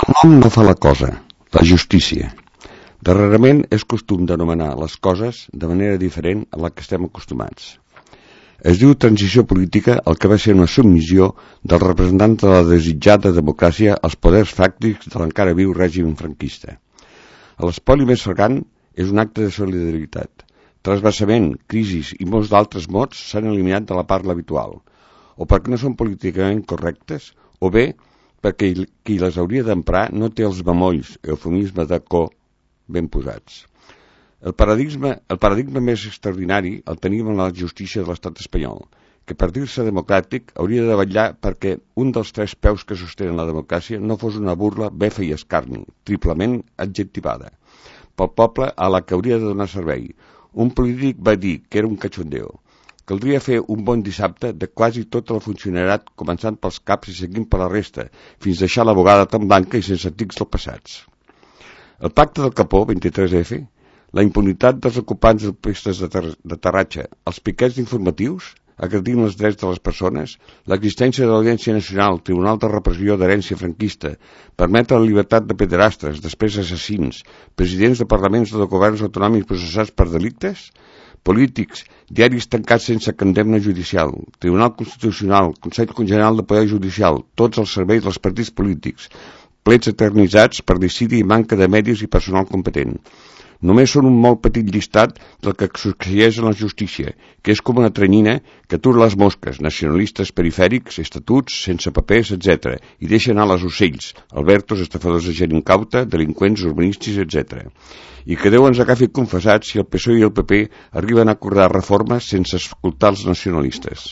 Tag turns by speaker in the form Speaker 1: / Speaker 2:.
Speaker 1: El nom no fa la cosa, la justícia. Darrerament és costum d'anomenar les coses de manera diferent a la que estem acostumats. Es diu transició política el que va ser una submissió dels representants de la desitjada democràcia als poders fàctics de l'encara viu règim franquista. L'espoli més flagrant és un acte de solidaritat. Trasbassament, crisis i molts d'altres mots s'han eliminat de la parla habitual, o perquè no són políticament correctes, o bé perquè qui les hauria d'emprar no té els bemolls, eufemisme de ben posats. El paradigma més extraordinari el tenim en la justícia de l'estat espanyol, que per dir-se democràtic hauria de vetllar perquè un dels tres peus que sostenen la democràcia no fos una burla, befa i escarni, triplement adjectivada, pel poble a la que hauria de donar servei. Un polític va dir que era un cachondeo. Caldria fer un bon dissabte de quasi tot el funcionariat, començant pels caps i seguint per la resta, fins deixar la bugada tan blanca i sense tics del passats. El pacte del Capó, 23F, la impunitat dels ocupants de pistes d'aterratge, els piquets informatius, agredint els drets de les persones, l'existència de l'Audiència Nacional, Tribunal de Repressió d'Herència Franquista, permetre la llibertat de pederastres, després assassins, presidents de parlaments o de governs autonòmics processats per delictes, polítics, diaris tancats sense condemna judicial, Tribunal Constitucional, Consell General de Poder Judicial, tots els serveis dels partits polítics, plets eternitzats per decidi i manca de medis i personal competent. Només són un molt petit llistat del que succeeix en la justícia, que és com una tranyina que atura les mosques, nacionalistes perifèrics, estatuts, sense papers, etc., i deixa anar les ocells, albertos, estafadors de gent incauta, delinqüents, urbanístics, etc. I que Déu ens agafi confessats si el PSOE i el PP arriben a acordar reformes sense escoltar els nacionalistes.